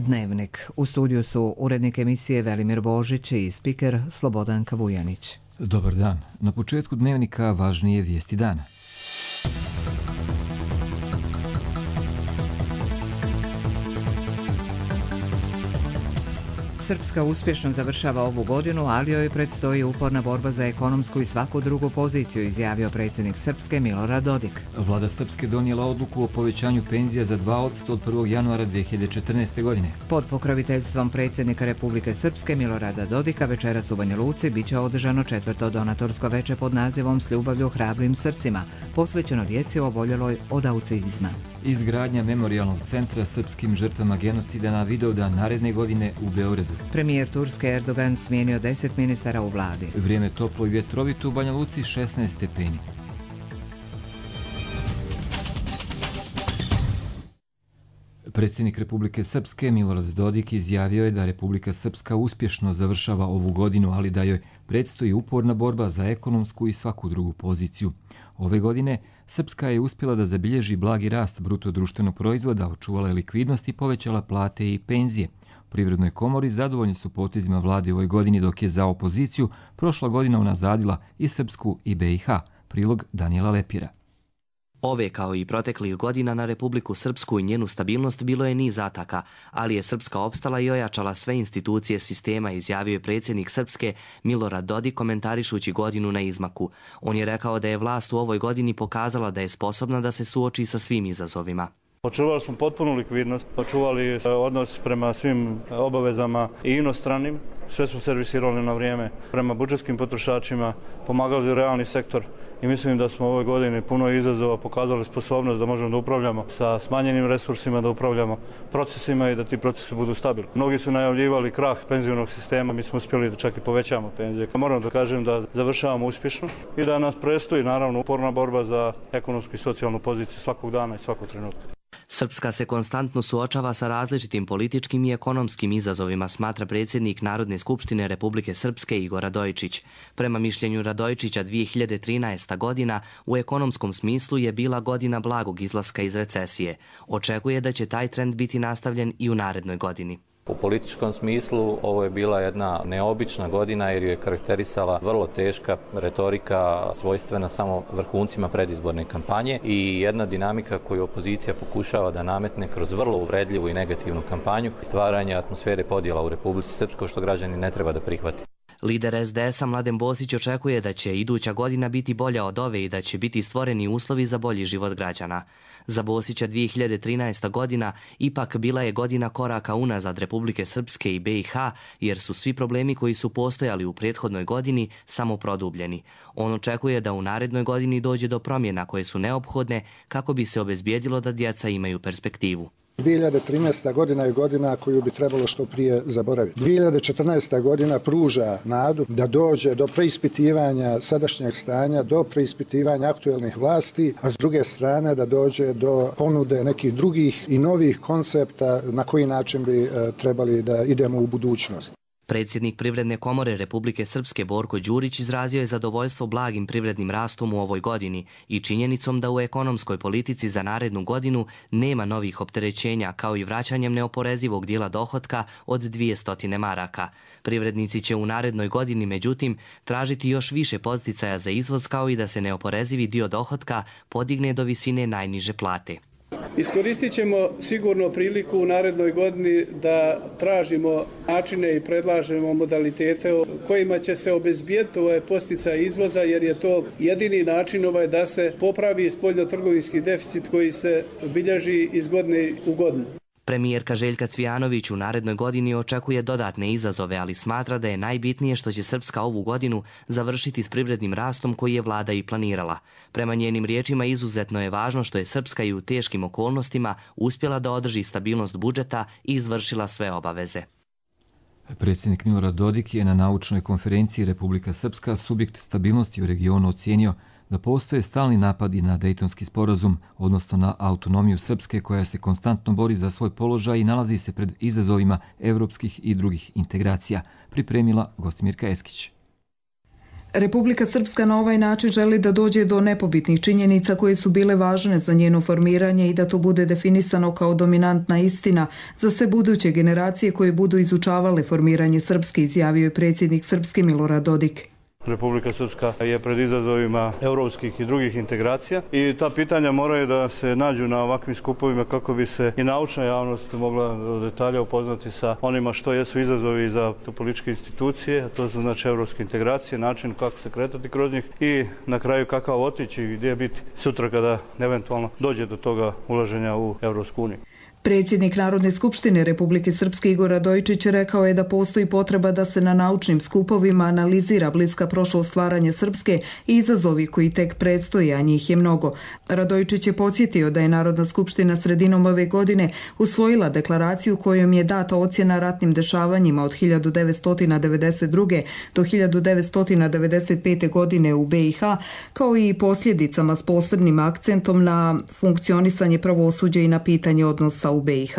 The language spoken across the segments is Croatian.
Dnevnik. U studiju su urednik emisije Velimir Božić i spiker Slobodanka Vujanić. Dobar dan. Na početku Dnevnika važnije vijesti dana. Srpska uspješno završava ovu godinu, ali joj predstoji uporna borba za ekonomsku i svaku drugu poziciju, izjavio predsjednik Srpske Milorad Dodik. Vlada Srpske donijela odluku o povećanju penzija za 2% od 1. januara 2014. godine. Pod pokroviteljstvom predsjednika Republike Srpske Milorada Dodika večeras u Banja Luci biće održano 4. donatorsko veče pod nazivom S ljubavlju hrabrim srcima, posvećeno djeci oboljeloj od autizma. Izgradnja memorijalnog centra srpskim žrtvama genocida na Vidovdan naredne godine u Beogradu. Premijer Turske Erdogan smijenio 10 ministara u vladi. Vrijeme toplo i vjetrovito u Banja Luci 16 stepeni. Predsjednik Republike Srpske Milorad Dodik izjavio je da Republika Srpska uspješno završava ovu godinu, ali da joj predstoji uporna borba za ekonomsku i svaku drugu poziciju. Ove godine Srpska je uspjela da zabilježi blagi rast bruto društvenog proizvoda, očuvala je likvidnost i povećala plate i penzije. U Privrednoj komori zadovoljni su potezima vlade u ovoj godini, dok je za opoziciju prošla godina unazadila i Srpsku i BiH. Prilog Danijela Lepira. Ove kao i proteklih godina na Republiku Srpsku i njenu stabilnost bilo je niz ataka, ali je Srpska opstala i ojačala sve institucije sistema, izjavio je predsjednik Srpske Milorad Dodik komentarišući godinu na izmaku. On je rekao da je vlast u ovoj godini pokazala da je sposobna da se suoči sa svim izazovima. Očuvali smo potpunu likvidnost, očuvali odnos prema svim obavezama i inostranim, sve smo servisirali na vrijeme prema budžetskim potrošačima, pomagali realni sektor i mislim da smo u ovoj godini puno izazova pokazali sposobnost da možemo da upravljamo sa smanjenim resursima, da upravljamo procesima i da ti procesi budu stabilni. Mnogi su najavljivali krah penzionog sistema, mi smo uspjeli da čak i povećamo penzije. Moram da kažem da završavamo uspješno i da nas predstoji naravno uporna borba za ekonomsku i socijalnu poziciju svakog dana i svakog trenutka. Srpska se konstantno suočava sa različitim političkim i ekonomskim izazovima, smatra predsjednik Narodne skupštine Republike Srpske Igor Radojičić. Prema mišljenju Radojičića, 2013. godina u ekonomskom smislu je bila godina blagog izlaska iz recesije. Očekuje da će taj trend biti nastavljen i u narednoj godini. U političkom smislu ovo je bila jedna neobična godina jer ju je karakterisala vrlo teška retorika svojstvena samo vrhuncima predizborne kampanje i jedna dinamika koju opozicija pokušava da nametne kroz vrlo uvredljivu i negativnu kampanju, stvaranje atmosfere podjela u Republici Srpskoj što građani ne treba da prihvati. Lider SDS-a Mladen Bosić očekuje da će iduća godina biti bolja od ove i da će biti stvoreni uslovi za bolji život građana. Za Bosića 2013. godina ipak bila je godina koraka unazad Republike Srpske i BiH, jer su svi problemi koji su postojali u prethodnoj godini samo produbljeni. On očekuje da u narednoj godini dođe do promjena koje su neophodne kako bi se obezbijedilo da djeca imaju perspektivu. 2013. godina je godina koju bi trebalo što prije zaboraviti. 2014. godina pruža nadu da dođe do preispitivanja sadašnjeg stanja, do preispitivanja aktuelnih vlasti, a s druge strane da dođe do ponude nekih drugih i novih koncepta na koji način bi trebali da idemo u budućnost. Predsjednik Privredne komore Republike Srpske Borko Đurić izrazio je zadovoljstvo blagim privrednim rastom u ovoj godini i činjenicom da u ekonomskoj politici za narednu godinu nema novih opterećenja, kao i vraćanjem neoporezivog dijela dohotka od 200 maraka. Privrednici će u narednoj godini, međutim, tražiti još više podsticaja za izvoz, kao i da se neoporezivi dio dohotka podigne do visine najniže plate. Iskoristit ćemo sigurno priliku u narednoj godini da tražimo načine i predlažemo modalitete kojima će se obezbijediti posticaj izvoza, jer je to jedini način da se popravi spoljnotrgovinski deficit koji se bilježi iz godine u godinu. Premijerka Željka Cvijanović u narednoj godini očekuje dodatne izazove, ali smatra da je najbitnije što će Srpska ovu godinu završiti s privrednim rastom koji je vlada i planirala. Prema njenim riječima izuzetno je važno što je Srpska i u teškim okolnostima uspjela da održi stabilnost budžeta i izvršila sve obaveze. Predsjednik Milorad Dodik je na naučnoj konferenciji Republika Srpska subjekt stabilnosti u regionu ocijenio da postoje stalni napadi na Dejtonski sporazum, odnosno na autonomiju Srpske koja se konstantno bori za svoj položaj i nalazi se pred izazovima evropskih i drugih integracija, pripremila Gostimirka Eskić. Republika Srpska na ovaj način želi da dođe do nepobitnih činjenica koje su bile važne za njeno formiranje i da to bude definisano kao dominantna istina za sve buduće generacije koje budu izučavale formiranje Srpske, izjavio je predsjednik Srpske Milorad Dodik. Republika Srpska je pred izazovima europskih i drugih integracija i ta pitanja moraju da se nađu na ovakvim skupovima kako bi se i naučna javnost mogla do detalja upoznati sa onima što jesu izazovi za političke institucije, a to su znači europske integracije, način kako se kretati kroz njih i na kraju kakav otići i gdje biti sutra kada eventualno dođe do toga ulaženja u Europsku uniju. Predsjednik Narodne skupštine Republike Srpske Igor Radojičić rekao je da postoji potreba da se na naučnim skupovima analizira bliska prošlost stvaranja Srpske i izazovi koji tek predstoje, a njih je mnogo. Radojičić je podsjetio da je Narodna skupština sredinom ove godine usvojila deklaraciju kojom je data ocjena ratnim dešavanjima od 1992. do 1995. godine u BiH, kao i posljedicama s posebnim akcentom na funkcionisanje pravosuđa i na pitanje odnosa u BiH.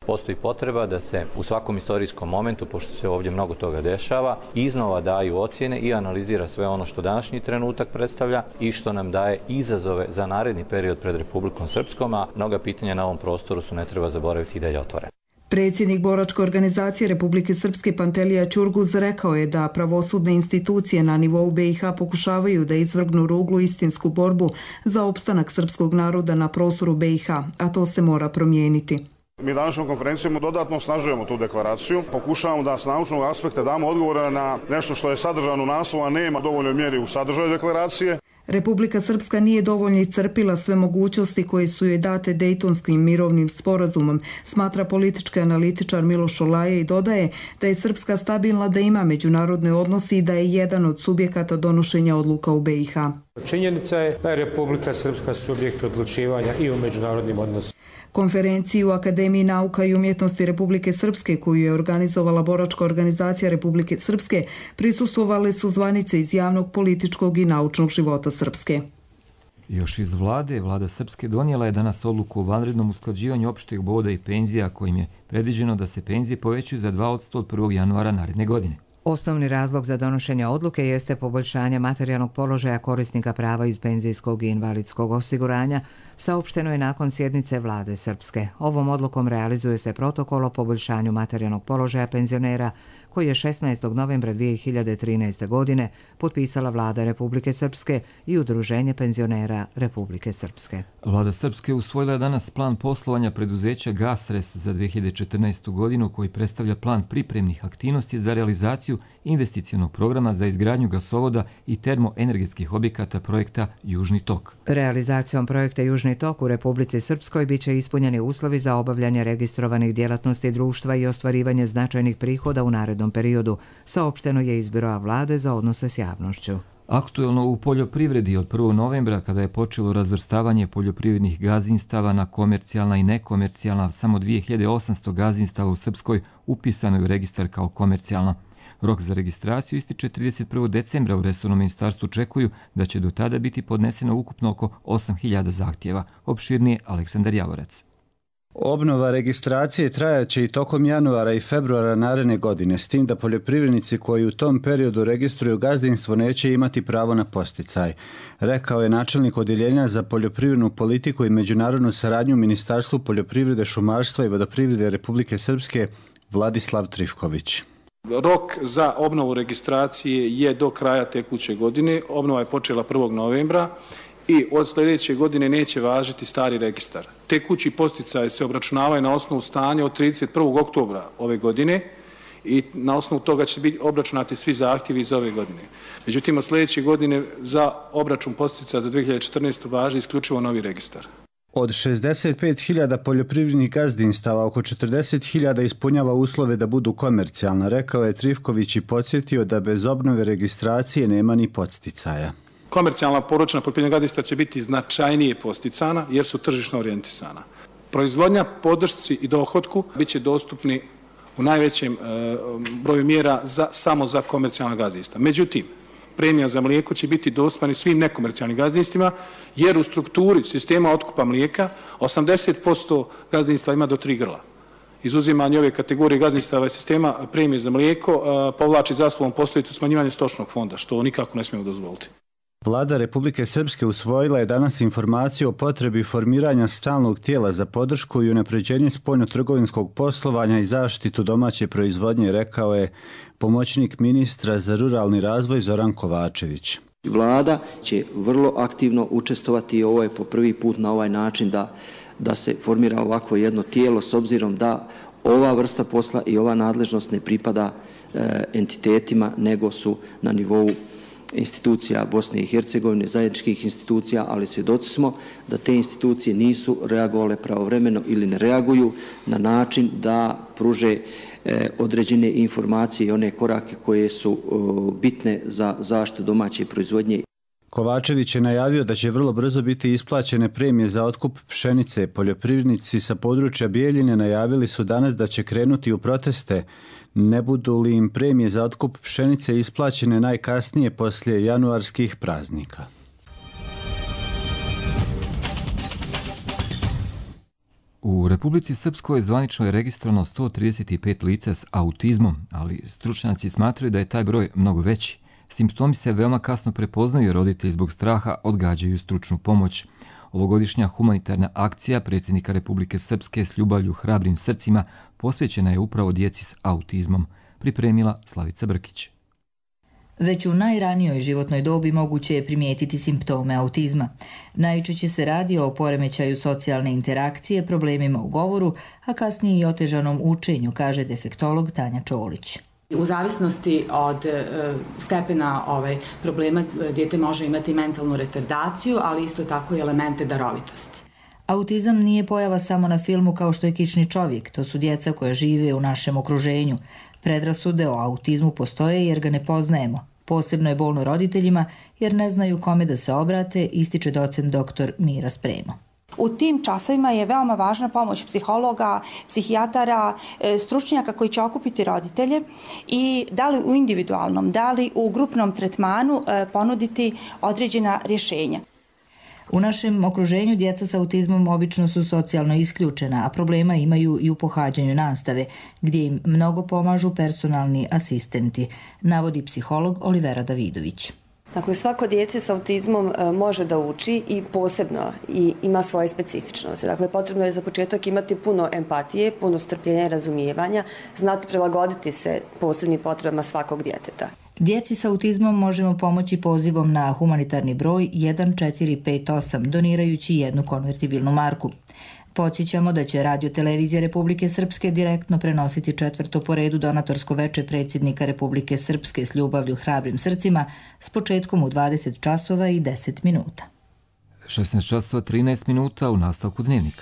Postoji potreba da se u svakom istorijskom momentu, pošto se ovdje mnogo toga dešava, iznova daju ocjene i analizira sve ono što današnji trenutak predstavlja i što nam daje izazove za naredni period pred Republikom Srpskom, a mnoga pitanja na ovom prostoru su, ne treba zaboraviti, i dalje otvorena. Predsjednik boračke organizacije Republike Srpske Pantelija Ćurguz rekao je da pravosudne institucije na nivou BiH pokušavaju da izvrgnu ruglu istinsku borbu za opstanak srpskog naroda na prostoru BiH, a to se mora promijeniti. Mi današnjom konferencijom dodatno osnažujemo tu deklaraciju. Pokušavamo da s naučnog aspekta damo odgovore na nešto što je sadržano u naslovu, a nema dovoljnoj mjeri u sadržaju deklaracije. Republika Srpska nije dovoljno iscrpila sve mogućnosti koje su joj date Dejtonskim mirovnim sporazumom, smatra politički analitičar Miloš Olaje i dodaje da je Srpska stabilna, da ima međunarodne odnose i da je jedan od subjekata donošenja odluka u BiH. Činjenica je da je Republika Srpska subjekt odlučivanja i u međunarodnim odnosima. Konferenciju u Akademiji nauka i umjetnosti Republike Srpske, koju je organizovala boračka organizacija Republike Srpske, prisustvovale su zvanice iz javnog, političkog i naučnog života Srpske. Još iz Vlada Srpske donijela je danas odluku o vanrednom usklađivanju opšteg boda i penzija, kojim je predviđeno da se penzije povećaju za 2% od 1. januara naredne godine. Osnovni razlog za donošenje odluke jeste poboljšanje materijalnog položaja korisnika prava iz penzijskog i invalidskog osiguranja, saopšteno je nakon sjednice Vlade Srpske. Ovom odlukom realizuje se protokol o poboljšanju materijalnog položaja penzionera koji je 16. novembra 2013. godine potpisala Vlada Republike Srpske i Udruženje penzionera Republike Srpske. Vlada Srpske usvojila je danas plan poslovanja preduzeća Gasres za 2014. godinu, koji predstavlja plan pripremnih aktivnosti za realizaciju investicionog programa za izgradnju gasovoda i termoenergetskih objekata projekta Južni tok. Realizacijom projekta Južni tok u Republici Srpskoj biće ispunjeni uslovi za obavljanje registrovanih djelatnosti društva i ostvarivanje značajnih prihoda u narednom periodu, saopšteno je iz Biroa Vlade za odnose s javnošću. Aktuelno u poljoprivredi od 1. novembra, kada je počelo razvrstavanje poljoprivrednih gazdinstava na komercijalna i nekomercijalna, samo 2800 gazdinstava u Srpskoj upisano je u registar kao komercijalno. Rok za registraciju ističe 31. decembra. U resornom ministarstvu očekuju da će do tada biti podneseno ukupno oko 8000 zahtjeva. Opširnije Aleksandar Javorac. Obnova registracije trajaće i tokom januara i februara naredne godine, s tim da poljoprivrednici koji u tom periodu registruju gazdinstvo neće imati pravo na podsticaj, rekao je načelnik Odjeljenja za poljoprivrednu politiku i međunarodnu saradnju u Ministarstvu poljoprivrede, šumarstva i vodoprivrede Republike Srpske Vladislav Trifković. Rok za obnovu registracije je do kraja tekuće godine. Obnova je počela 1. novembra i od sljedeće godine neće važiti stari registar. Tekući podsticaji se obračunavaju na osnovu stanja od 31. oktobra ove godine i na osnovu toga će biti obračunati svi zahtjevi iz ove godine. Međutim, od sljedeće godine za obračun podsticaja za 2014. važi isključivo novi registar. Od 65.000 poljoprivrednih gazdinstava oko 40.000 ispunjava uslove da budu komercijalna, rekao je Trifković i podsjetio da bez obnove registracije nema ni podsticaja. Komercijalna poručna poljoprivredna gazdinstva će biti značajnije posticana jer su tržišno orijentisana. Proizvodnja, podršci i dohotku bit će dostupni u najvećem broju mjera samo za komercijalna gazdinstva. Međutim, premija za mlijeko će biti dostupna svim nekomercijalnim gazdinstvima, jer u strukturi sistema otkupa mlijeka 80% gazdinstva ima do 3 grla. izuzimanje ove kategorije gazdinstava i sistema premije za mlijeko povlači za sobom posljedicu smanjivanja stočnog fonda, što nikako ne smijemo dozvoliti. Vlada Republike Srpske usvojila je danas informaciju o potrebi formiranja stalnog tijela za podršku i unapređenje spoljnotrgovinskog poslovanja i zaštitu domaće proizvodnje, rekao je pomoćnik ministra za ruralni razvoj Zoran Kovačević. Vlada će vrlo aktivno učestvovati i ovo je po prvi put na ovaj način da se formira ovako jedno tijelo, s obzirom da ova vrsta posla i ova nadležnost ne pripada entitetima, nego su na nivou institucija Bosne i Hercegovine, zajedničkih institucija, ali svjedoci smo da te institucije nisu reagovale pravovremeno ili ne reaguju na način da pruže određene informacije i one korake koje su bitne za zaštitu domaće proizvodnje. Kovačević je najavio da će vrlo brzo biti isplaćene premije za otkup pšenice. Poljoprivrednici sa područja Bijeljine najavili su danas da će krenuti u proteste, ne budu li im premije za otkup pšenice isplaćene najkasnije poslije januarskih praznika. U Republici Srpskoj zvanično je registrovano 135 lica s autizmom, ali stručnjaci smatraju da je taj broj mnogo veći. Simptomi se veoma kasno prepoznaju, roditelji zbog straha odgađaju stručnu pomoć. Ovogodišnja humanitarna akcija predsjednika Republike Srpske s ljubavlju hrabrim srcima posvećena je upravo djeci s autizmom, pripremila Slavica Brkić. Već u najranijoj životnoj dobi moguće je primijetiti simptome autizma. Najčešće se radi o poremećaju socijalne interakcije, problemima u govoru, a kasnije i otežanom učenju, kaže defektolog Tanja Čolić. U zavisnosti od stepena problema dijete može imati mentalnu retardaciju, ali isto tako i elemente darovitosti. Autizam nije pojava samo na filmu kao što je Kični čovjek, to su djeca koja žive u našem okruženju. Predrasude o autizmu postoje jer ga ne poznajemo. Posebno je bolno roditeljima jer ne znaju kome da se obrate, ističe docent dr. Mira Spremo. U tim časovima je veoma važna pomoć psihologa, psihijatara, stručnjaka koji će okupiti roditelje i da li u individualnom, da li u grupnom tretmanu ponuditi određena rješenja. U našem okruženju djeca s autizmom obično su socijalno isključena, a problema imaju i u pohađanju nastave, gdje im mnogo pomažu personalni asistenti, navodi psiholog Olivera Davidović. Dakle, svako dijete s autizmom može da uči i posebno i ima svoje specifičnosti. Dakle, potrebno je za početak imati puno empatije, puno strpljenja i razumijevanja, znati prilagoditi se posebnim potrebama svakog djeteta. Djeci s autizmom možemo pomoći pozivom na humanitarni broj 1458, donirajući 1 konvertibilnu marku. Podsjećamo da će Radio-televizija Republike Srpske direktno prenositi 4. po redu donatorsko veče predsjednika Republike Srpske s ljubavlju hrabrim srcima s početkom u 20 časova i 10 minuta. 16 časova 13 minuta u nastavku dnevnika.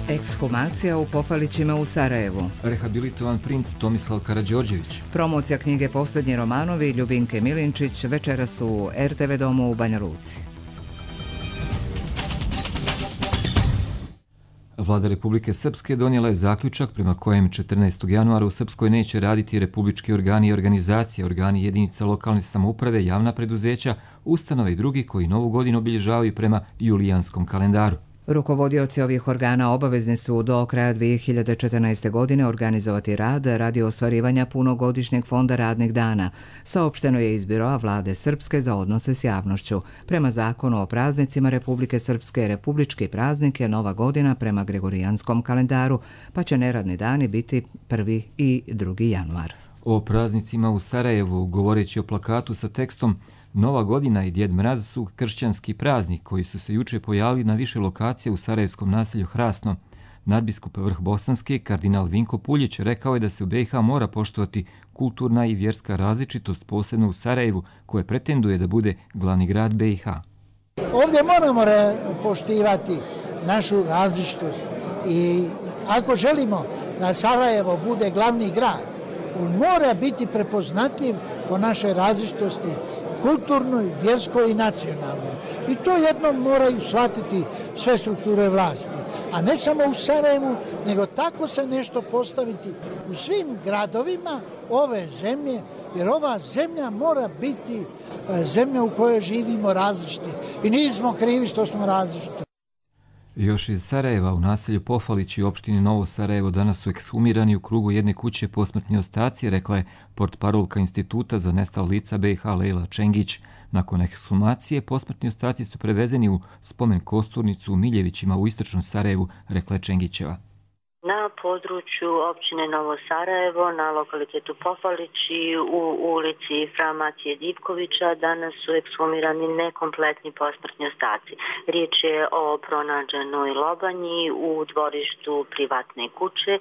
Ekshumacija u Pofalićima u Sarajevu. Rehabilitovan princ Tomislav Karađorđević. Promocija knjige Posljednji romanovi Ljubinke Milinčić večeras u RTV domu u Banja Luci. Vlada Republike Srpske donijela je zaključak prema kojem 14. januara u Srpskoj neće raditi republički organi i organizacije, organi jedinica lokalne samouprave, javna preduzeća, ustanove i drugi koji novu godinu obilježavaju prema julijanskom kalendaru. Rukovodioci ovih organa obavezni su do kraja 2014. godine organizovati rad radi ostvarivanja punogodišnjeg fonda radnih dana, saopšteno je iz Biroa Vlade Srpske za odnose s javnošću. Prema zakonu o praznicima Republike Srpske, republički praznik je Nova godina prema gregorijanskom kalendaru, pa će neradni dani biti 1. i 2. januar. O praznicima u Sarajevu, govoreći o plakatu sa tekstom Nova godina i Djed Mraz su kršćanski praznik koji su se juče pojavili na više lokacija u sarajevskom naselju Hrasno. Nadbiskup Vrh Bosanski, kardinal Vinko Puljić, rekao je da se u BiH mora poštovati kulturna i vjerska različitost, posebno u Sarajevu, koje pretenduje da bude glavni grad BiH. Ovdje moramo poštivati našu različitost i ako želimo da Sarajevo bude glavni grad, on mora biti prepoznatljiv po našoj različitosti, kulturnoj, vjerskoj i nacionalnoj. I to jednom moraju shvatiti sve strukture vlasti. A ne samo u Sarajevu, nego tako se nešto postaviti u svim gradovima ove zemlje, jer ova zemlja mora biti zemlja u kojoj živimo različiti. I nismo krivi što smo različiti. Još iz Sarajeva u naselju Pofalići u opštini Novo Sarajevo danas su ekshumirani u krugu jedne kuće posmrtni ostaci, rekla je portparolka Instituta za nestala lica BiH Lejla Čengić. Nakon ekshumacije posmrtni ostaci su prevezeni u spomen kosturnicu u Miljevićima u istočnom Sarajevu, rekla je Čengićeva. Na području općine Novo Sarajevo, na lokalitetu Pofalići, u ulici Fra Matije Divkovića, danas su ekshumirani nekompletni posmrtni ostaci. Riječ je o pronađenoj lobanji u dvorištu privatne kuće.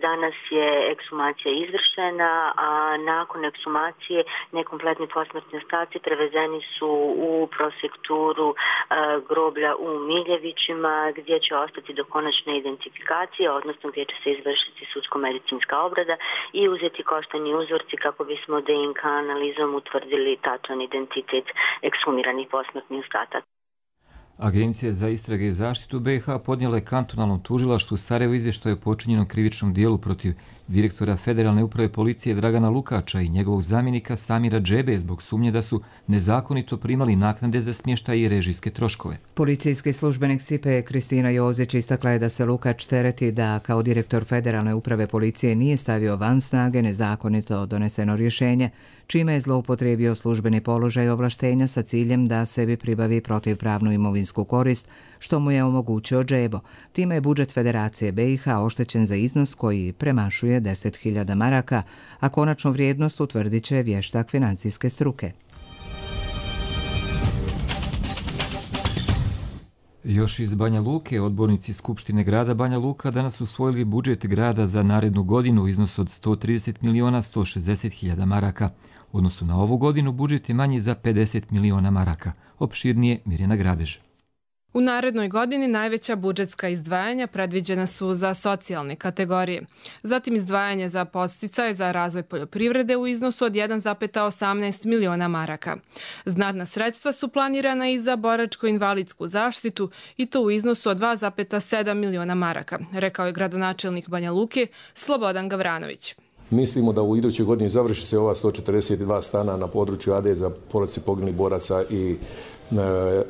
Danas je ekshumacija izvršena, a nakon ekshumacije nekompletni posmrtni ostaci prevezeni su u prosekturu groblja u Miljevićima, gdje će ostati do konačne identifikacije, odnosno gdje će se izvršiti sudsko-medicinska obrada i uzeti koštani uzorci kako bismo DNK analizom utvrdili tačan identitet ekshumiranih posmrtnih ostataka. Agencija za istrage i zaštitu BiH podnijela je kantonalnom tužilaštvu Sarajevo izvještaj o počinjenom krivičnom dijelu protiv direktora Federalne uprave policije Dragana Lukača i njegovog zamjenika Samira Džebe zbog sumnje da su nezakonito primali naknade za smještaj i režijske troškove. Policijski službenik SIPE Kristina Jozić istakla je da se Lukač tereti da kao direktor Federalne uprave policije nije stavio van snage nezakonito doneseno rješenje, čime je zloupotrijebio službeni položaj ovlaštenja sa ciljem da sebi pribavi protivpravnu imovinsku korist, što mu je omogućio Džebo. Time je budžet Federacije BiH oštećen za iznos koji premašuje 10.000 maraka, a konačnu vrijednost utvrdit će vještak financijske struke. Još iz Banja Luke, odbornici Skupštine grada Banja Luka danas usvojili budžet grada za narednu godinu u iznosu od 130.160.000 maraka. U odnosu na ovu godinu budžet je manji za 50 miliona maraka. Opširnije Mirjana Grabež. U narednoj godini najveća budžetska izdvajanja predviđena su za socijalne kategorije. Zatim izdvajanje za podsticaje za razvoj poljoprivrede u iznosu od 1,18 miliona maraka. Znatna sredstva su planirana i za boračko-invalidsku zaštitu i to u iznosu od 2,7 miliona maraka, rekao je gradonačelnik Banja Luke Slobodan Gavranović. Mislimo da u idućoj godini završi se ova 142 stana na području AD za porodice poginulih boraca i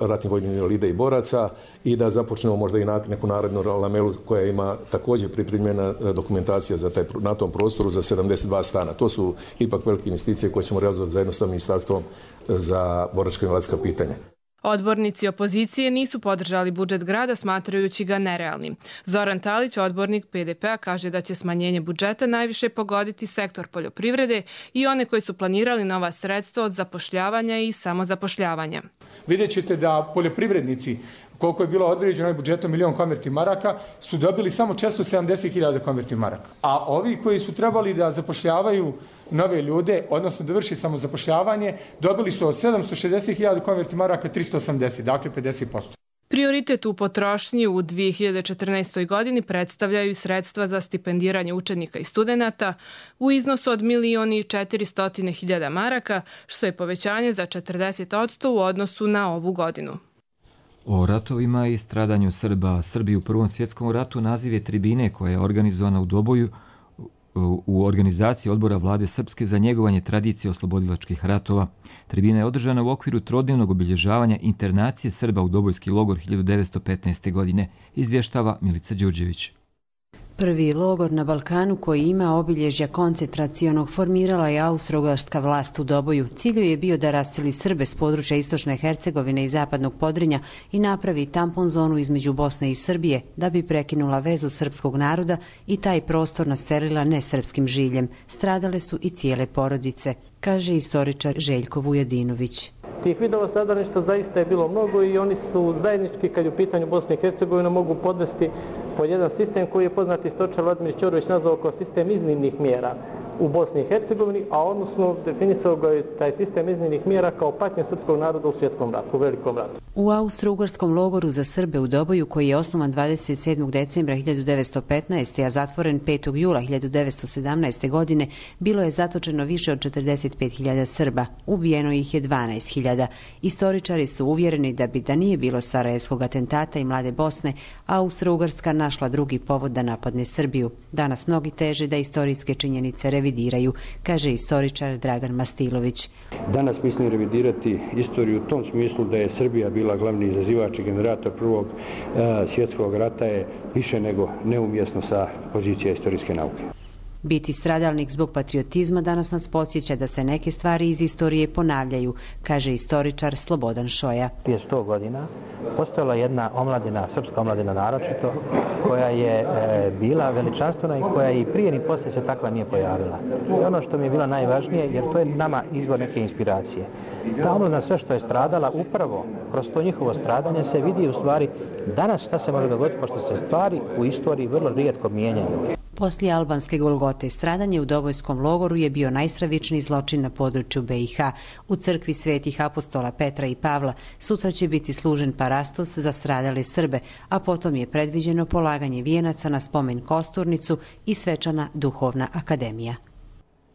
ratnih vojnih invalida i boraca i da započnemo možda i neku narednu lamelu koja ima također pripremljena dokumentacija za na tom prostoru za 72 stana. To su ipak velike investicije koje ćemo realizovati zajedno sa Ministarstvom za boračko-invalidska pitanja. Odbornici opozicije nisu podržali budžet grada smatrajući ga nerealnim. Zoran Talić, odbornik PDP-a, kaže da će smanjenje budžeta najviše pogoditi sektor poljoprivrede i one koji su planirali nova sredstva od zapošljavanja i samozapošljavanja. Vidjet ćete da poljoprivrednici, koliko je bilo određeno budžetom milion konverti maraka, su dobili samo 470.000 konverti maraka. A ovi koji su trebali da zapošljavaju nove ljude, odnosno da vrši samozapošljavanje, dobili su od 760.000 konverti maraka 380, dakle 50%. Prioritet u potrošnji u 2014. godini predstavljaju sredstva za stipendiranje učenika i studenata u iznosu od 1.400.000 maraka, što je povećanje za 40% u odnosu na ovu godinu. O ratovima i stradanju Srba. Srbi u Prvom svjetskom ratu naziv je tribine koja je organizovana u Doboju u organizaciji odbora vlade Srpske za njegovanje tradicije oslobodilačkih ratova. Tribina je održana u okviru trodnevnog obilježavanja internacije Srba u Dobojski logor 1915. godine, izvještava Milica Đurđević. Prvi logor na Balkanu koji ima obilježja koncentracionog formirala je austro-ugarska vlast u Doboju. Cilj je bio da raseli Srbe s područja istočne Hercegovine i zapadnog Podrinja i napravi tampon zonu između Bosne i Srbije da bi prekinula vezu srpskog naroda i taj prostor naselila nesrpskim žiljem. Stradale su i cijele porodice, kaže istoričar Željko Vujadinović. Tih vidova stradalništva zaista je bilo mnogo i oni su zajednički, kad je u pitanju Bosne i Hercegovine, mogu podvesti pod jedan sistem koji je poznati istoričar Vladimir Ćorović nazvao kao sistem iznimnih mjera u Bosni i Hercegovini, a odnosno definisao ga je taj sistem iznimnih mjera kao patnje srpskog naroda u svjetskom ratu, u velikom ratu. U austro-ugarskom logoru za Srbe u Doboju, koji je osnovan 27. decembra 1915. a zatvoren 5. jula 1917. godine, bilo je zatočeno više od 45.000 Srba. Ubijeno ih je 12.000. Istoričari su uvjereni da nije bilo sarajevskog atentata i Mlade Bosne, Austro-Ugarska našla drugi povod da napadne Srbiju. Danas mnogi teže da istorijske činjenice revidiraju revidiraju, kaže istoričar Dragan Mastilović. Danas mislim revidirati istoriju u tom smislu da je Srbija bila glavni izazivač i generator Prvog svjetskog rata je više nego neumjesno sa pozicije istorijske nauke. Biti stradalnik zbog patriotizma danas nas podsjeća da se neke stvari iz istorije ponavljaju, kaže istoričar Slobodan Šoja. Prije 100 godina postojala jedna omladina, srpska omladina naročito, koja je bila veličanstvena i koja i prije ni poslije se takva nije pojavila. I ono što mi je bilo najvažnije, jer to je nama izvor neke inspiracije. Ta omladina sve što je stradala, upravo kroz to njihovo stradanje se vidi u stvari danas šta se može dogoditi, pošto se stvari u istoriji vrlo rijetko mijenjaju. Poslije albanske Golgote, stradanje u Dobojskom logoru je bio najstravičniji zločin na području BiH. U crkvi svetih apostola Petra i Pavla sutra će biti služen parastos za stradale Srbe, a potom je predviđeno polaganje vijenaca na spomen Kosturnicu i svečana duhovna akademija.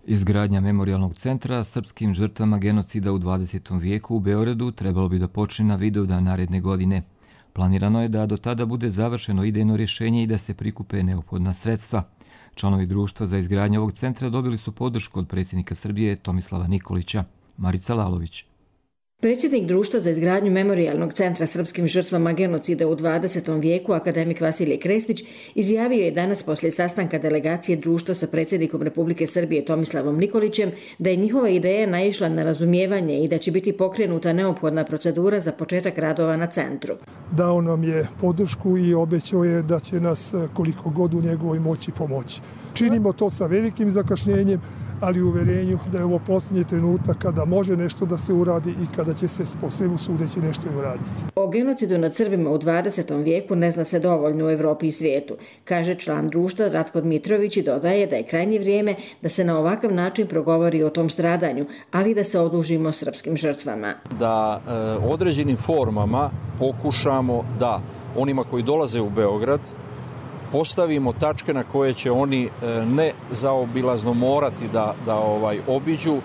Izgradnja memorijalnog centra srpskim žrtvama genocida u 20. vijeku u Beogradu trebalo bi da počne na Vidovdan naredne godine. Planirano je da do tada bude završeno idejno rješenje i da se prikupe neophodna sredstva. Članovi društva za izgradnju ovog centra dobili su podršku od predsjednika Srbije Tomislava Nikolića. Marica Lalović. Predsjednik društva za izgradnju memorijalnog centra srpskim žrtvama genocida u 20. vijeku, akademik Vasilije Krestić, izjavio je danas poslije sastanka delegacije društva sa predsjednikom Republike Srbije Tomislavom Nikolićem da je njihova ideja naišla na razumijevanje i da će biti pokrenuta neophodna procedura za početak radova na centru. Dao nam je podršku i obećao je da će nas koliko god u njegovoj moći pomoći. Činimo to sa velikim zakašnjenjem, ali u uverenju da je ovo posljednji trenutak kada može nešto da se uradi i kada će se po svemu sudeći nešto i uraditi. O genocidu nad Srbima u 20. vijeku ne zna se dovoljno u Evropi i svijetu, kaže član društva Ratko Dmitrović i dodaje da je krajnje vrijeme da se na ovakav način progovori o tom stradanju, ali da se odužimo srpskim žrtvama. Da određenim formama pokušamo da onima koji dolaze u Beograd postavimo tačke na koje će oni ne zaobilazno morati da obiđu,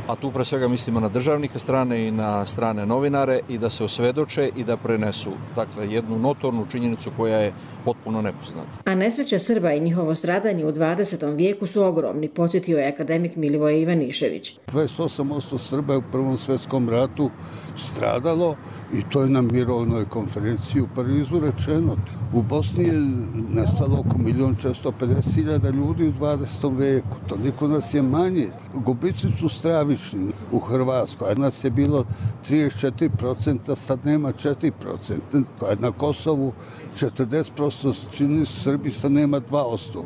a tu pre svega mislimo na državnike strane i na strane novinare, i da se osvedoče i da prenesu, dakle, jednu notornu činjenicu koja je potpuno nepoznata. A nesreća Srba i njihovo stradanje u 20. vijeku su ogromni, podsjetio je akademik Milivoje Ivanišević. 28% Srba je u Prvom svjetskom ratu stradalo i to je na mirovnoj konferenciji u Parizu rečeno. U Bosni je nestalo oko 1.450.000 ljudi u 20. vijeku. Toliko nas je manje. Gubici su stravični u Hrvatskoj. Nas je bilo 34%, sad nema 4%. Na Kosovu 40%, čini Srbi, sad nema 2%.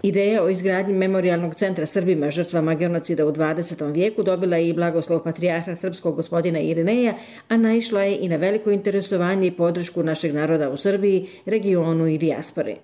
Ideja o izgradnji memorijalnog centra Srbima žrtvama genocida u 20. vijeku dobila je i blagoslov patrijarha srpskog gospodina Irineja, a naišla je i na veliko interesovanje i podršku našeg naroda u Srbiji, regionu i dijaspori.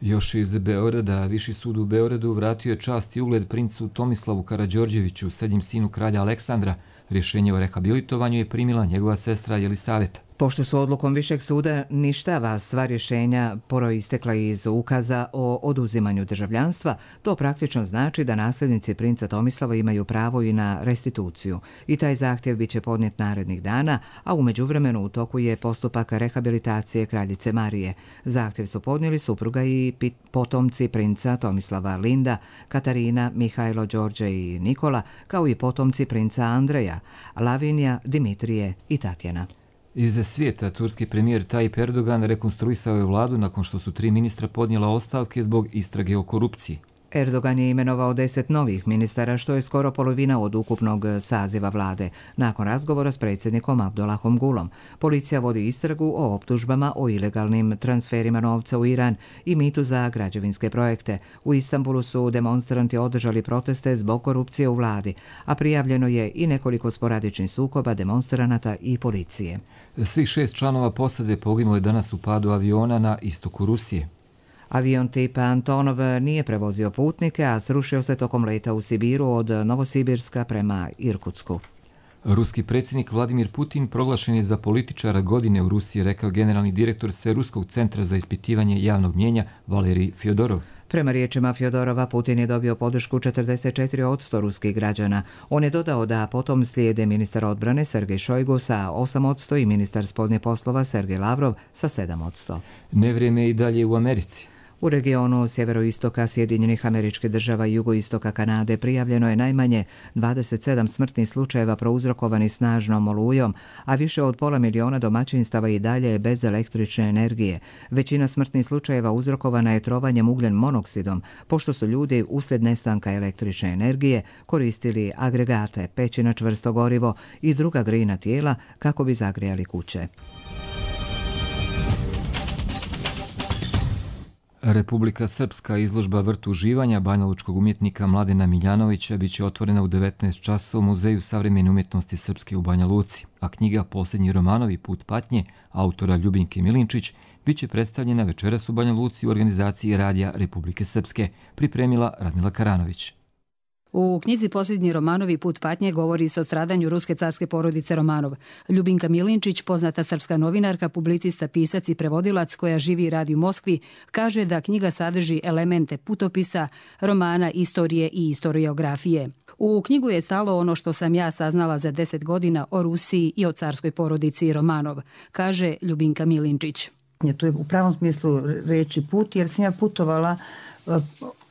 Još iz Beograda, Viši sud u Beogradu vratio je čast i ugled princu Tomislavu Karađorđeviću, srednjem sinu kralja Aleksandra. Rješenje o rehabilitovanju je primila njegova sestra Jelisaveta. Pošto su odlukom Višeg suda ništava sva rješenja proistekla iz ukaza o oduzimanju državljanstva, to praktično znači da nasljednici princa Tomislava imaju pravo i na restituciju. I taj zahtjev biće podnijet narednih dana, a u međuvremenu u toku je postupak rehabilitacije kraljice Marije. Zahtjev su podnijeli supruga i potomci princa Tomislava Linda, Katarina, Mihajlo, Đorđe i Nikola, kao i potomci princa Andreja, Lavinija, Dimitrije i Tatjana. Iz svijeta, turski premijer Tayyip Erdogan rekonstruisao je vladu nakon što su 3 ministra podnijela ostavke zbog istrage o korupciji. Erdogan je imenovao 10 novih ministara, što je skoro polovina od ukupnog saziva vlade, nakon razgovora s predsjednikom Abdullahom Gulom. Policija vodi istragu o optužbama o ilegalnim transferima novca u Iran i mitu za građevinske projekte. U Istanbulu su demonstranti održali proteste zbog korupcije u vladi, a prijavljeno je i nekoliko sporadičnih sukoba demonstranata i policije. Svih 6 članova posade poginulo je danas u padu aviona na istoku Rusije. Avion tipa Antonov nije prevozio putnike, a srušio se tokom leta u Sibiru od Novosibirska prema Irkutsku. Ruski predsjednik Vladimir Putin proglašen je za političara godine u Rusiji, rekao generalni direktor Sveruskog centra za ispitivanje javnog mnijenja Valerij Fjodorov. Prema riječima Fjodorova, Putin je dobio podršku 44% ruskih građana. On je dodao da potom slijede ministar odbrane Sergej Šojgu sa 8% i ministar spoljnih poslova Sergej Lavrov sa 7%. Nevrijeme je i dalje u Americi. U regionu sjeveroistoka Sjedinjenih Američkih Država i jugoistoka Kanade prijavljeno je najmanje 27 smrtnih slučajeva prouzrokovani snažnom olujom, a više od 500.000 domaćinstava i dalje je bez električne energije. Većina smrtnih slučajeva uzrokovana je trovanjem ugljen monoksidom, pošto su ljudi uslijed nestanka električne energije koristili agregate, peći na čvrsto gorivo i druga grijna tijela kako bi zagrijali kuće. Republika Srpska izložba Vrt uživanja banjalučkog umjetnika Mladena Miljanovića biće otvorena u 19 časova u Muzeju savremene umjetnosti Srpske u Banja Luci, a knjiga Posljednji romanovi Put patnje autora Ljubinke Milinčić biće predstavljena večeras u Banja Luci u organizaciji Radija Republike Srpske, pripremila Radmila Karanović. U knjizi Posljednji romanovi Put patnje govori se o stradanju ruske carske porodice Romanov. Ljubinka Milinčić, poznata srpska novinarka, publicista, pisac i prevodilac koja živi i radi u Moskvi, kaže da knjiga sadrži elemente putopisa, romana, istorije i istoriografije. U knjigu je stalo ono što sam ja saznala za 10 godina o Rusiji i o carskoj porodici Romanov, kaže Ljubinka Milinčić. To je u pravom smislu reči put, jer sam ja putovala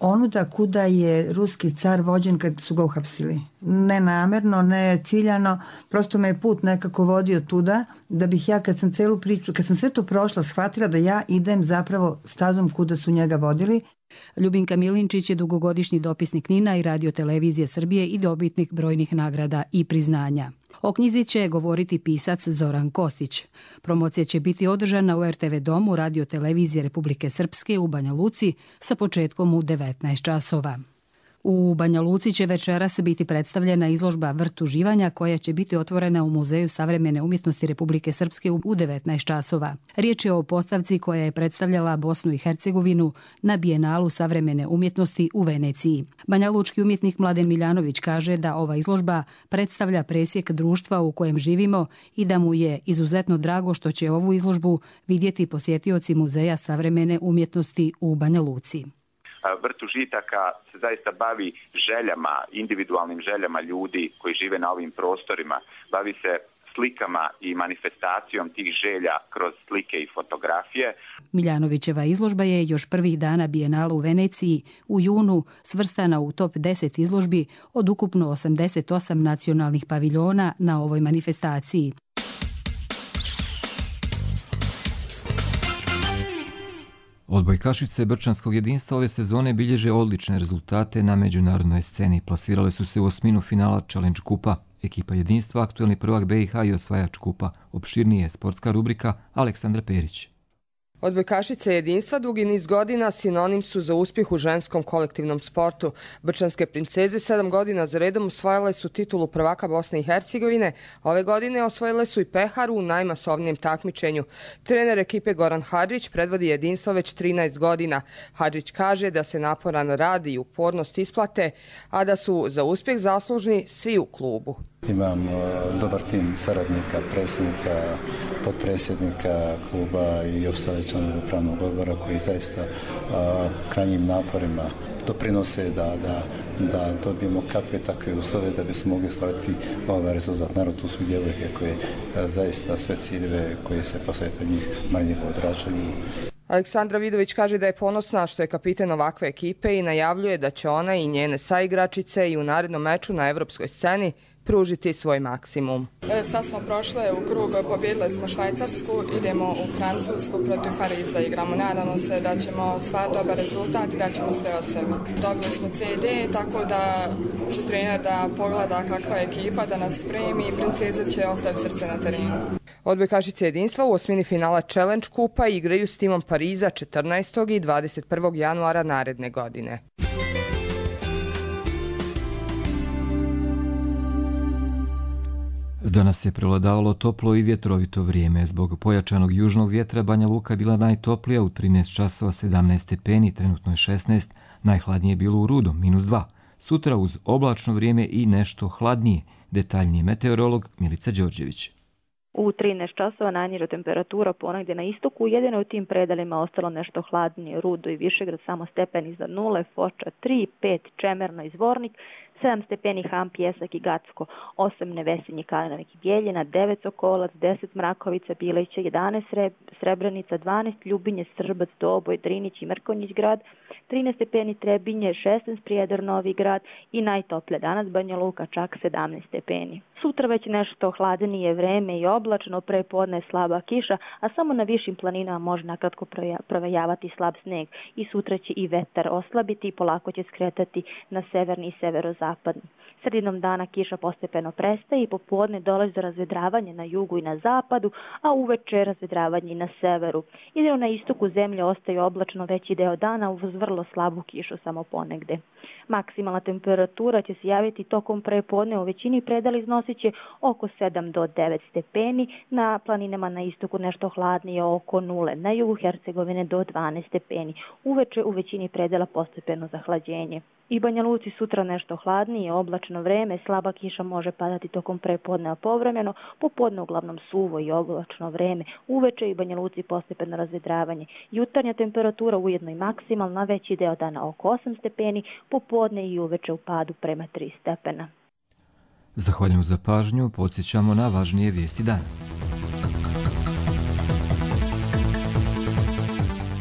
onuda kuda je ruski car vođen kad su ga uhapsili. Ne namerno, ne ciljano, prosto me je put nekako vodio tuda, da bih ja kad sam celu priču, kad sam sve to prošla, shvatila da ja idem zapravo stazom kuda su njega vodili. Ljubinka Milinčić je dugogodišnji dopisnik NIN-a i Radio-televizije Srbije i dobitnik brojnih nagrada i priznanja. O knjizi će govoriti pisac Zoran Kostić. Promocija će biti održana u RTV domu Radio-televizije Republike Srpske u Banja Luci sa početkom u 19 časova. U Banja Luci će večeras biti predstavljena izložba Vrt uživanja koja će biti otvorena u Muzeju savremene umjetnosti Republike Srpske u 19 časova. Riječ je o postavci koja je predstavljala Bosnu i Hercegovinu na Bijenalu savremene umjetnosti u Veneciji. Banjalučki umjetnik Mladen Miljanović kaže da ova izložba predstavlja presjek društva u kojem živimo i da mu je izuzetno drago što će ovu izložbu vidjeti posjetioci Muzeja savremene umjetnosti u Banja Luci. Vrt užitaka se zaista bavi željama, individualnim željama ljudi koji žive na ovim prostorima. Bavi se slikama i manifestacijom tih želja kroz slike i fotografije. Miljanovićeva izložba je još prvih dana Bijenala u Veneciji u junu svrstana u top 10 izložbi od ukupno 88 nacionalnih paviljona na ovoj manifestaciji. Odbojkašice Brčanskog jedinstva ove sezone bilježe odlične rezultate na međunarodnoj sceni. Plasirale su se u osminu finala Challenge kupa. Ekipa jedinstva, aktuelni prvak BiH i osvajač kupa. Opširnije sportska rubrika Aleksandra Perić. Odbojkašice jedinstva dugi niz godina sinonim su za uspjeh u ženskom kolektivnom sportu. Brčanske princeze 7 godina za redom osvojile su titulu prvaka Bosne i Hercegovine. Ove godine osvojile su i peharu u najmasovnijem takmičenju. Trener ekipe Goran Hadžić predvodi jedinstvo već 13 godina. Hadžić kaže da se naporan rad i upornost isplate, a da su za uspjeh zaslužni svi u klubu. Imam dobar tim saradnika, predsjednika, potpredsjednika kluba i ostale članove upravnog odbora koji zaista krajnjim naporima doprinose da dobijemo kakve takve uslove da bismo mogli stvariti ovaj rezultat. Naravno, tu su djevojke koje zaista sve ciljeve koje se poslije pred njih marljivo odrađuju. Aleksandra Vidović kaže da je ponosna što je kapiten ovakve ekipe i najavljuje da će ona i njene saigračice i u narednom meču na evropskoj sceni pružiti svoj maksimum. Sad smo prošle u krug, pobjedili smo Švajcarsku, idemo u Francusku, protiv Pariza igramo. Nadamo se da ćemo stvariti dobar rezultat i da ćemo sve od sebe. Dobili smo CD, tako da će trener da pogleda kakva je ekipa, da nas spremi i princeze će ostaviti srce na terenu. Odbojkašice jedinstva u osmini finala Challenge kupa igraju s timom Pariza 14. i 21. januara naredne godine. Danas je prevladavalo toplo i vjetrovito vrijeme. Zbog pojačanog južnog vjetra Banja Luka bila najtoplija u 13 časova 17 stepeni, trenutno je 16, najhladnije je bilo u Rudom, -2. Sutra uz oblačno vrijeme i nešto hladnije. Detaljnije meteorolog Milica Đorđević. U 13 časova najniža temperatura ponegdje na istoku, jedino u tim predelima ostalo nešto hladnije, Rudo i Višegrad samo stepen iznad nule, Foča 3, 5 Čemerno i Zvornik, 7 stepeni Ham, Pjesak i Gacko, 8 Nevesinje, Kalinovik i Bjeljina, 9 Sokolac, 10 Mrakovica, Bileća, 11 Srebrenica, 12 Ljubinje, Srbac, Doboj, Drinić i Mrkonjić grad, 13 stepeni Trebinje, 16 Prijedor, Novi grad i najtoplje danas Banja Luka, čak 17 stepeni. Sutra već nešto hladnije vreme i oblačno, prepodne slaba kiša, a samo na višim planinama može nakratko provejavati slab sneg i sutra će i vetar oslabiti i polako će skretati na severni i severozapadni. Sredinom dana kiša postepeno prestaje i popodne dolazi do razvedravanja na jugu i na zapadu, a uveče razvedravanje i na severu. Jedino na istoku zemlje ostaje oblačno veći deo dana uz vrlo slabu kišu samo ponegde. Maksimalna temperatura će se javiti tokom prepodne, u većini predala iznosit će oko 7 do 9 stepeni, na planinama na istoku nešto hladnije oko 0, na jugu Hercegovine do 12 stepeni. Uveče u većini predela postepeno zahlađenje. I Banja Luci sutra nešto hladnije, oblačno vreme, slaba kiša može padati tokom prepodneva povremeno, popodne uglavnom suvo i oblačno vreme, uveče i Banja Luci postepeno razvedravanje. Jutarnja temperatura ujedno i maksimalna, veći deo dana oko 8 stepeni, popodne i uveče u padu prema 3 stepena. Zahvaljujem za pažnju, podsjećamo na važnije vijesti dana.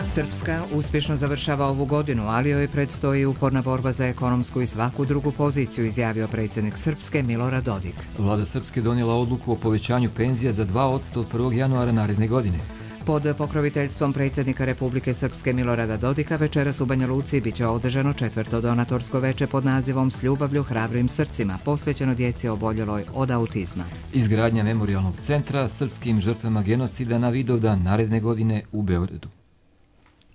Srpska uspješno završava ovu godinu, ali joj predstoji uporna borba za ekonomsku i svaku drugu poziciju, izjavio predsjednik Srpske Milorad Dodik. Vlada Srpske donijela odluku o povećanju penzija za 2% od 1. januara naredne godine. Pod pokroviteljstvom predsjednika Republike Srpske Milorada Dodika večeras u Banja Luci biće održano 4. donatorsko veče pod nazivom S ljubavlju hrabrim srcima, posvećeno djeci oboljeloj od autizma. Izgradnja memorijalnog centra srpskim žrtvama genocida na Vidovdan naredne godine u Beogradu.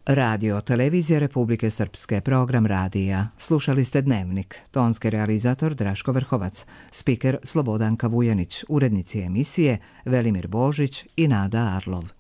Radio Televizija Republike Srpske, program radija. Slušali ste Dnevnik. Tonski realizator Draško Vrhovac, spiker Slobodanka Vujanić, urednici emisije Velimir Božić i Nada Arlov.